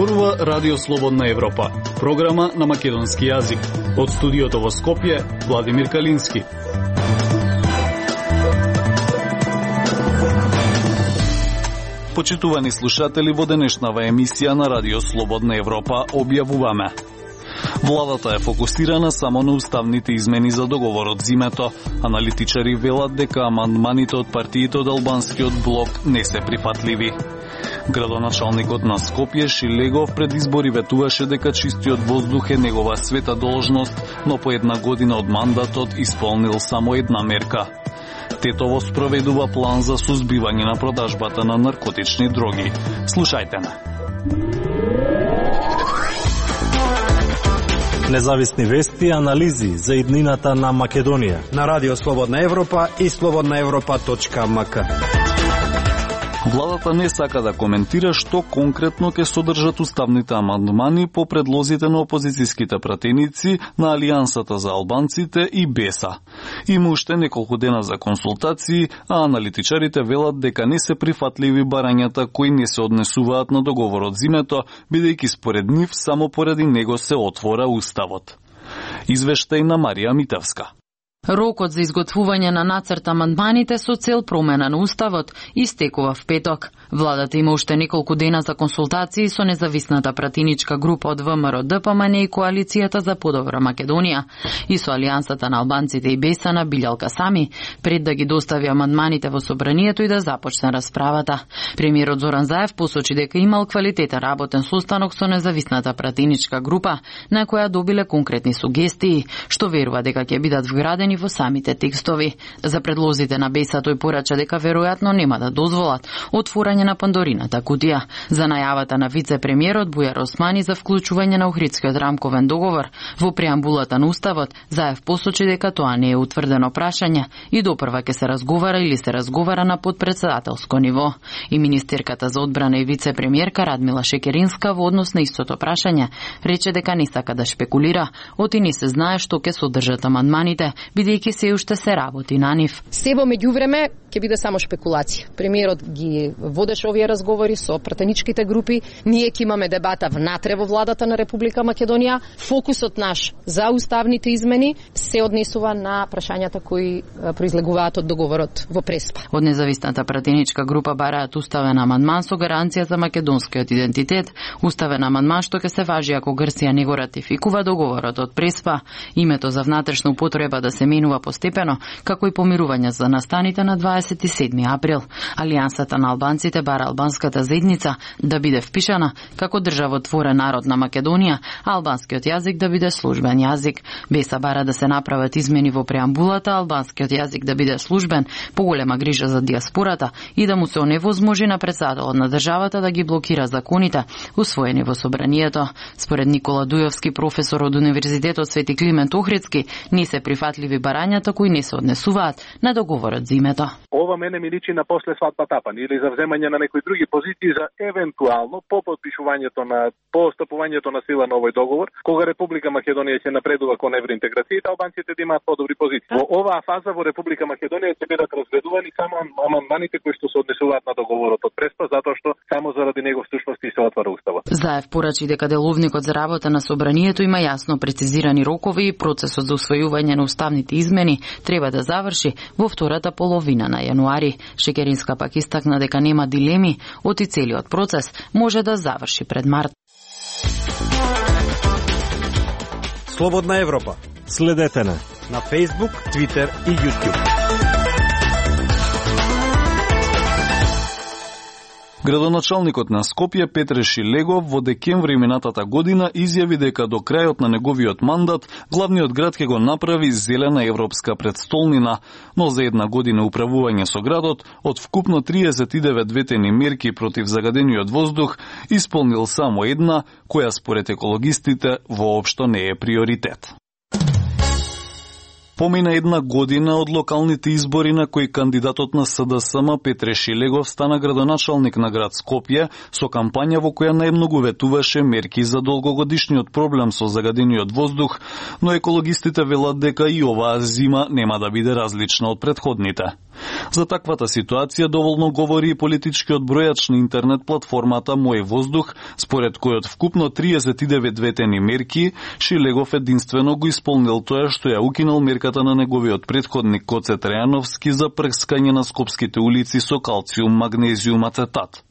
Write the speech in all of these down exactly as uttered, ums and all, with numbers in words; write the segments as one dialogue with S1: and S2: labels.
S1: Зборува Радио Слободна Европа, програма на македонски јазик. Од студиото во Скопје, Владимир Калински. Почитувани слушатели, во денешнава емисија на Радио Слободна Европа објавуваме: владата е фокусирана само на уставните измени за договорот зимето. Аналитичари велат дека амандманите од партиите од албанскиот блок не се прифатливи. Градоначалникот на Скопје Шилегов пред избори ветуваше дека чистиот воздух е негова света должност, но по една година од мандатот исполнил само една мерка. Тетово спроведува план за сузбивање на продажбата на наркотични дроги. Слушајте на.
S2: Независни вести и анализи за иднината на Македонија
S3: на Радио Слободна Европа и слободна европа точка ем ка.
S1: Владата не сака да коментира што конкретно ќе содржат уставните амандмани по предлозите на опозицијските пратеници на Алијансата за албанците и БЕСА. Има уште неколку дена за консултации, а аналитичарите велат дека не се прифатливи барањата кои не се однесуваат на договорот зимето, бидејќи според нив само поради него се отвора уставот. Извештај на Марија Митевска.
S4: Рокот за изготвување на нацрт амандманите со цел промена на уставот истекува в петок. Владата има уште неколку дена за консултации со независната пратеничка група од ВМРО Д П М Н и Коалицијата за подобра Македонија и со Алијансата на албанците и БЕСА на Билјалка Сами, пред да ги достави амандманите во собранието и да започне расправата. Премиерот Зоран Заев посочи дека имал квалитетен работен состанок со независната пратеничка група, на која добиле конкретни сугестии, што верува дека ќе бидат вградени во самите текстови. За предлозите на БЕСА тој порача дека веројатно нема да дозволат отворање на Пандорината кутија. За најавата на вице-премиерот Бујар Османи за вклучување на Охридскиот рамковен договор во преамбулата на уставот, Заев посочи дека тоа не е утврдено прашање и допрва ќе се разговара или се разговара на подпредседателско ниво. И министерката за одбрана и вице-премиерка Радмила Шекеринска во однос на истото прашање рече дека не сака да шпекулира, оти не се знае што ќе содржат амандманите, бидејќи се уште се работи на нив.
S5: Се во меѓувреме ќе биде само шпекулација. Премиерот ги водеше овие разговори со пратеничките групи. Ние ќе имаме дебата внатре во владата на Република Македонија. Фокусот наш за уставните измени се однесува на прашањата кои произлегуваат од договорот во Преспа.
S4: Од независната пратеничка група бараат уставен амандман со гаранција за македонскиот идентитет, уставен амандман што ќе се важи ако Грција не го ратификува договорот од Преспа, името за внатрешна употреба да се менува постепено, како и помирување за настаните на дваесет и седми април. Алијансата на албанците бара албанската заедница да биде впишана како државотворен народ на Македонија, а албанскиот јазик да биде службен јазик. БЕСА бара да се направат измени во преамбулата, албанскиот јазик да биде службен, поголема грижа за диаспората и да му се оневозможи на председателот на државата да ги блокира законите усвоени во собранието. Според Никола Дујовски, професор од Универзитетот Свети Климент Охридски, не се прифатливи барањата кои не се однесуваат на договорот зимето.
S6: Ова мене ми личи на после свадба тапан или за вземање на некои други позиции за евентуално по подпишувањето на по стапувањето на сила на овој договор, кога Република Македонија ќе напредува кон евроинтеграцијата, албанците да имаат подобри позиции. Во оваа фаза во Република Македонија ќе бидат разгледувани само амандманите кои што се однесуваат на договорот од Преспа, затоа што само заради него всушност и се отвара уставот.
S4: Заев порачи дека деловникот за работа на собранието има јасно прецизирани рокови и процесот за усвојување на уставните измени треба да заврши во втората половина на јануари. Шекеринска пак истакна дека нема дилеми, оти целиот процес може да заврши пред март.
S3: Слободна Европа.
S2: Следете на
S3: на Facebook, Twitter и YouTube.
S1: Градоначалникот на Скопје Петре Шилегов во декември минатата година изјави дека до крајот на неговиот мандат главниот град ќе го направи зелена европска предстолнина, но за една година управување со градот од вкупно триесет и девет ветени мерки против загадениот воздух исполнил само една, која според екологистите воопшто не е приоритет. Помина една година од локалните избори на кои кандидатот на С Д С М Петре Шилегов стана градоначалник на град Скопје со кампања во која најмногу ветуваше мерки за долгогодишниот проблем со загадениот воздух, но екологистите велат дека и оваа зима нема да биде различна од претходните. За таквата ситуација доволно говори и политичкиот бројач на интернет платформата Мој воздух, според којот вкупно триесет и девет ветени мерки, Шилегов единствено го исполнил тоа што ја укинал мерката на неговиот претходник Коце Трајановски за прскање на скопските улици со калциум, магнезиум, ацетат.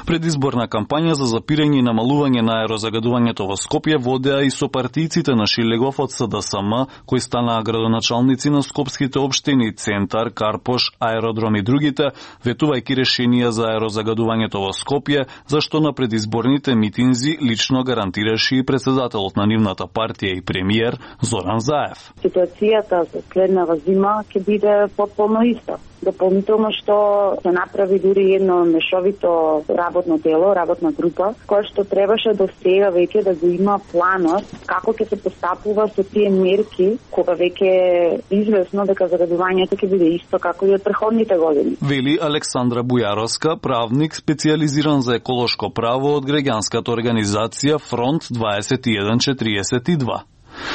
S1: Предизборна кампања за запирање и намалување на аерозагадувањето во Скопје водеа и со партијците на Шилегов од С Д С М, кои станаа градоначалници на скопските општини Центар, Карпош, Аеродром и другите, ветувајќи решенија за аерозагадувањето во Скопје, зашто на предизборните митинзи лично гарантираше и председателот на нивната партија и премиер Зоран Заев.
S7: Ситуацијата за следнава зима ќе биде потполно иста. Дополнително што се направи дури едно мешовито работно дело, работна група, која што требаше до сега веќе да го има планот како ќе се постапува со тие мерки, кога веќе известно дека загадувањето ќе биде исто како и од претходните години.
S1: Вели Александра Бујаровска, правник специјализиран за еколошко право од граѓанската организација Фронт дваесет и еден четириесет и два.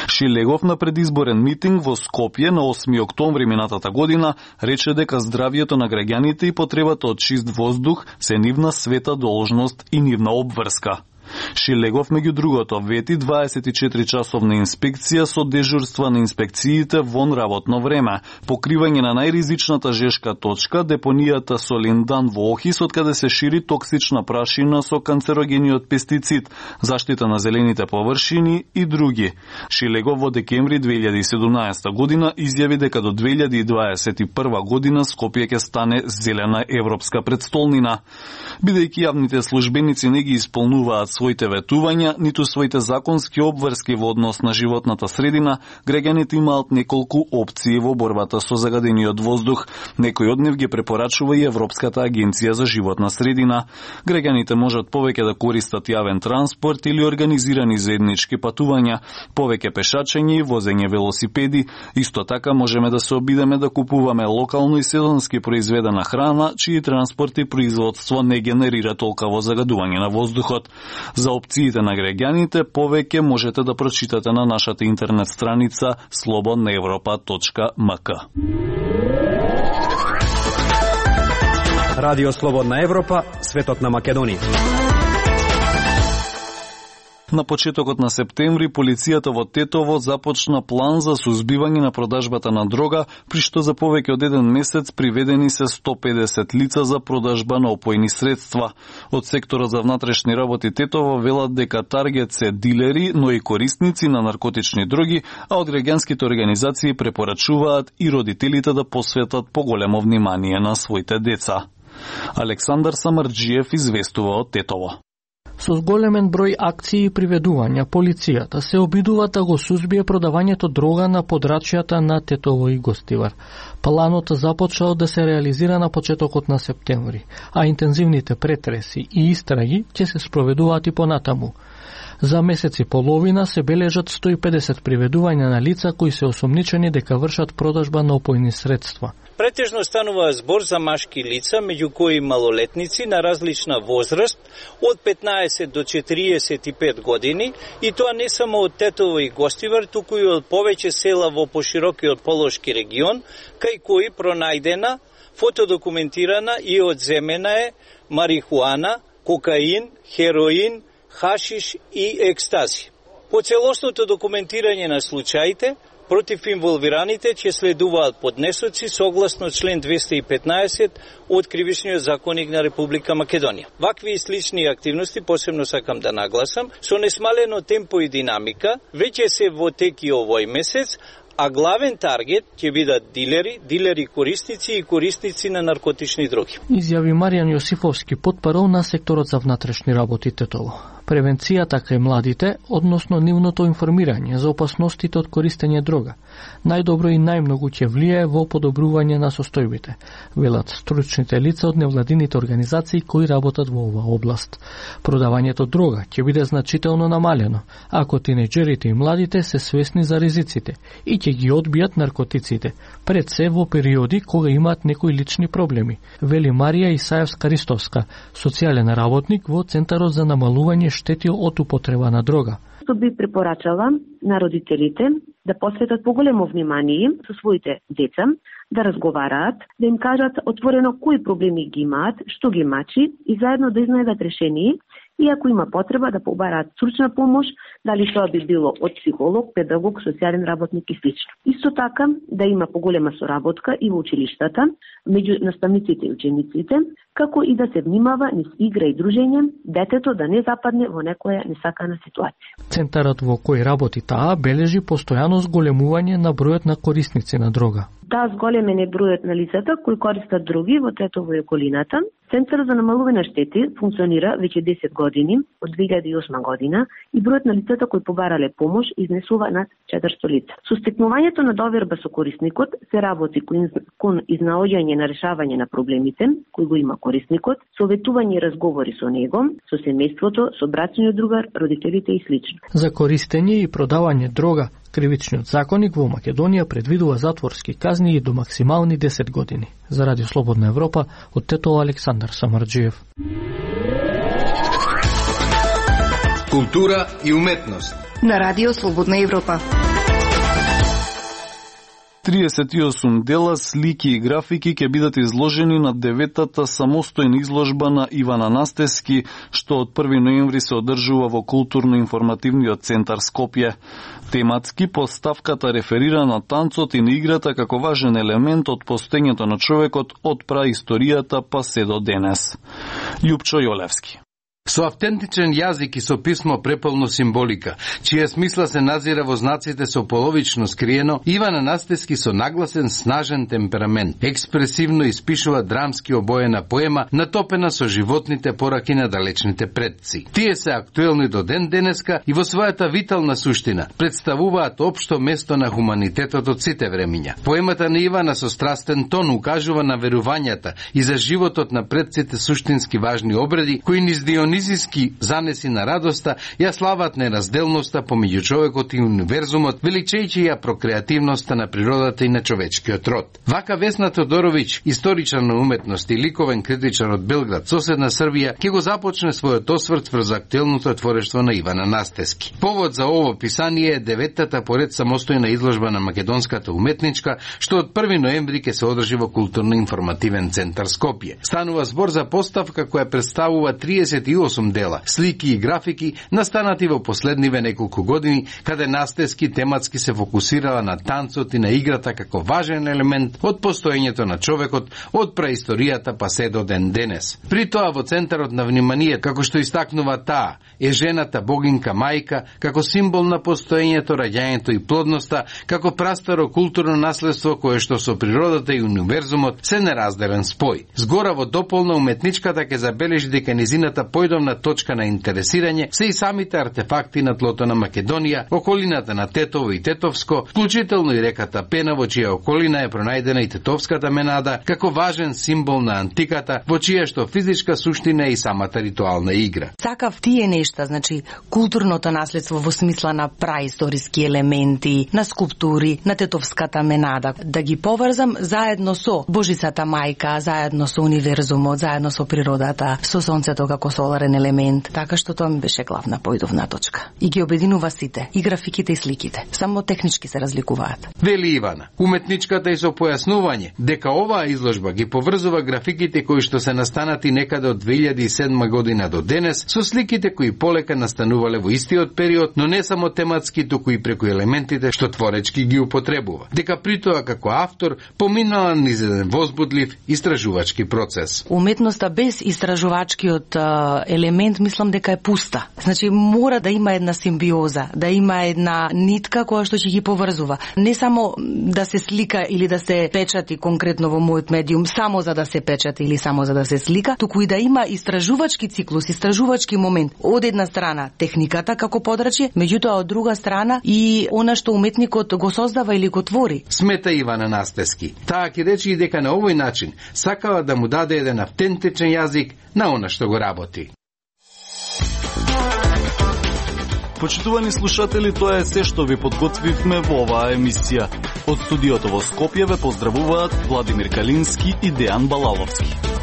S1: Шилегов на предизборен митинг во Скопје на осми октомври минатата година рече дека здравјето на граѓаните и потребата од чист воздух се нивна света должност и нивна обврска. Шилегов, меѓу другото, вети дваесет и четири часовна инспекција со дежурства на инспекциите вон работно време, покривање на најризичната жешка точка, депонијата со Линдан во Охис, од каде се шири токсична прашина со канцерогениот пестицид, заштита на зелените површини и други. Шилегов во декември две илјади и седумнаесета година изјави дека до две илјади и дваесет и прва година Скопје ќе стане зелена европска претстолнина. Бидејќи јавните службеници не ги исполнуваат своите ветувања, ниту своите законски обврски во однос на животната средина, граѓаните имаат неколку опции во борбата со загадениот воздух. Некој од нив ги препорачува и Европската агенција за животна средина. Граѓаните можат повеќе да користат јавен транспорт или организирани заеднички патувања, повеќе пешачење и возење велосипеди. Исто така можеме да се обидеме да купуваме локално и сезонски произведена храна, чии транспорт и производство не генерира толкаво загадување на воздухот. За опциите на граѓаните повеќе можете да прочитате на нашата интернет страница слободна европа точка м к.
S3: Радио Слободна Европа, светот на Македонија.
S1: На почетокот на септември, полицијата во Тетово започна план за сузбивање на продажбата на дрога, при што за повеќе од еден месец приведени се сто педесет лица за продажба на опојни средства. Од секторот за внатрешни работи Тетово велат дека таргет се дилери, но и корисници на наркотични дроги, а од граѓанските организации препорачуваат и родителите да посветат поголемо внимание на своите деца. Александар Самарџиев известува од Тетово.
S8: Со зголемен број акции и приведувања, полицијата се обидува да го сузбие продавањето дрога на подрачјата на Тетово и Гостивар. Планот започнал да се реализира на почетокот на септември, а интензивните претреси и истраги ќе се спроведуваат и понатаму. За месец и половина се бележат сто и педесет приведувања на лица кои се осомничени дека вршат продажба на опојни средства.
S9: Претежно станува збор за машки лица, меѓу кои малолетници на различна возраст, од петнаесет до четириесет и пет години, и тоа не само од Тетово и Гостивар, туку и од повеќе села во поширокиот Полошки регион, кај кои пронајдена, фотодокументирана и одземена е марихуана, кокаин, хероин, хашиш и екстази. По целосното документирање на случаите, против инволвираните ќе следуваат поднесоци согласно член двеста и петнаесет од Кривичниот законник на Република Македонија. Вакви и слични активности, посебно сакам да нагласам, со несмалено темпо и динамика, веќе се во теки овој месец, а главен таргет ќе бидат дилери, дилери корисници и корисници на наркотични дроги.
S8: Изјави Маријан Јосифовски, потпарол на секторот за внатрешни работи Тетово. Превенцијата кај младите, односно нивното информирање за опасностите од користење дрога, најдобро и најмногу ќе влијае во подобрување на состојбите, велат стручните лица од невладините организации кои работат во оваа област. Продавањето дрога ќе биде значително намалено, ако тинеџерите и младите се свесни за ризиците и ќе ги одбијат наркотиците, пред се во периоди кога имаат некои лични проблеми, вели Марија Исаевска-Ристовска, социјален работник во Центарот за намалување штети од употреба на дрога.
S10: што би препорачала на родителите да посветат поголемо внимание со своите деца, да разговараат, да им кажат отворено кои проблеми ги имаат, што ги мачи и заедно да изнајдат решение и ако има потреба да побараат стручна помош, дали тоа би било од психолог, педагог, социјален работник и слично. Исто така да има поголема соработка и во училиштата меѓу наставниците и учениците, како и да се внимава низ игра и дружење, детето да не западне во некоја несакана ситуација.
S8: Центарот во кој работи таа бележи постојано зголемување на бројот на корисници на дрога.
S10: Таа зголемен е бројот на лицата кои користат други во Тетово и околината. Центарот за намалување на штети функционира веќе десет години, од две илјади и осма година, и бројот на лицата кои побарале помош изнесува над четиристотини лица. Со стекнувањето на доверба со корисникот се работи кон изнаоѓање на решавање на проблемите кои го има корисникот, советување и разговори со него, со семејството, со брачниот другар, родителите и слично.
S8: За користење и продавање дрога, Кривичниот законник во Македонија предвидува затворски казни и до максимални десет години. За Радио Слободна Европа, од Тетово Александар Самарџиев.
S11: Култура и уметност
S12: на Радио Слободна Европа.
S1: триесет и осум дела, слики и графики ќе бидат изложени на деветата самостојна изложба на Иван Анастески, што од први ноември се одржува во Културно-информативниот центар Скопје. Тематски поставката реферира на танцот и на играта како важен елемент од постоењето на човекот од праисторијата па се до денес. Љупчо Јолевски.
S11: Со автентичен јазик и со писмо преполно символика, чија смисла се назира во знаците со половично скриено, Иван Анастески со нагласен снажен темперамент, експресивно испишува драмски обоена поема, натопена со животните пораки на далечните предци. Тие се актуелни до ден денеска и во својата витална суштина представуваат општо место на хуманитетот од сите времиња. Поемата на Ивана со страстен тон укажува на верувањата и за животот на предците суштински важни обреди, кои низ дионизиски занеси на радоста ја слават неразделноста помеѓу човекот и универзумот, величејќи ја прокреативноста на природата и на човечкиот род. Вака Весна Тодороvić, историчар на уметност и ликовен критичар од Белград, соседна Србија, ќе го започне својот осврт врз актуелното творештво на Иван Анастески. Повод за ово писание е деветата поред самостојна изложба на македонската уметничка, што од први ноември ќе се одржи во Културно-информативен центар Скопје. Станува збор за поставка која представува триесет и осум дела, слики и графики, настанати во последниве неколку години, каде Настески тематски се фокусирала на танцот и на играта како важен елемент од постоењето на човекот од праисторијата па се до ден денес. При тоа во центарот на внимание, како што истакнува таа, е жената богинка мајка, како символ на постоењето, раѓањето и плодноста, како прастаро културно наследство кое што со природата и универзумот се неразделен спој. Згора во дополна уметничката ќе забележи дека низината појдовна точка на интересирање се и самите артефакти на тлото на Македонија, околината на Тетово и Тетовско, вклучително и реката Пена, во чија околина е пронајдена и Тетовската менада, како важен символ на антиката, во чија што физичка суштина е и самата ритуална игра.
S12: Сакав тие нешта, значи културното наследство во смисла на праисториски елементи, на скулптури, на Тетовската менада, да ги поврзам заедно со Божицата мајка, заедно со универзумот, заедно со природата, со сонцето како соларен елемент, така што тоа ми беше главна појдовна точка. И ги обединува сите, и графиките и сликите. Само технички се разликуваат.
S11: Вели Ивана, уметничката и со појаснување дека оваа изложба ги поврзува графиките кои што се настанати некаде од две илјади и седма година до денес со сликите кои полека настанувале во истиот период, но не само тематски, туку и преку елементите што творечки ги употребува. Дека при тоа како автор поминала низ еден возбудлив истражувачки процес.
S12: Уметноста без истражувачкиот елемент мислам дека е пуста. Значи мора да има една симбиоза, да има една нитка која што ќе ги поврзува. Не само да се слика или да се печати конкретно во мојот медиум само за да се печати или само за да се слика, туку и да има истражувачки циклус, истражувачки момент. Од една страна техниката како подрачје, меѓутоа од друга страна и она што уметникот го создава или го твори.
S11: Смета Иван Анастески. Таа ќе рече и дека на овој начин сакала да му даде еден автентичен јазик на она што го работи.
S1: Почитувани слушатели, тоа е се што ви подготвивме во оваа емисија. Од студиото во Скопје ве поздравуваат Владимир Калински и Дејан Балаловски.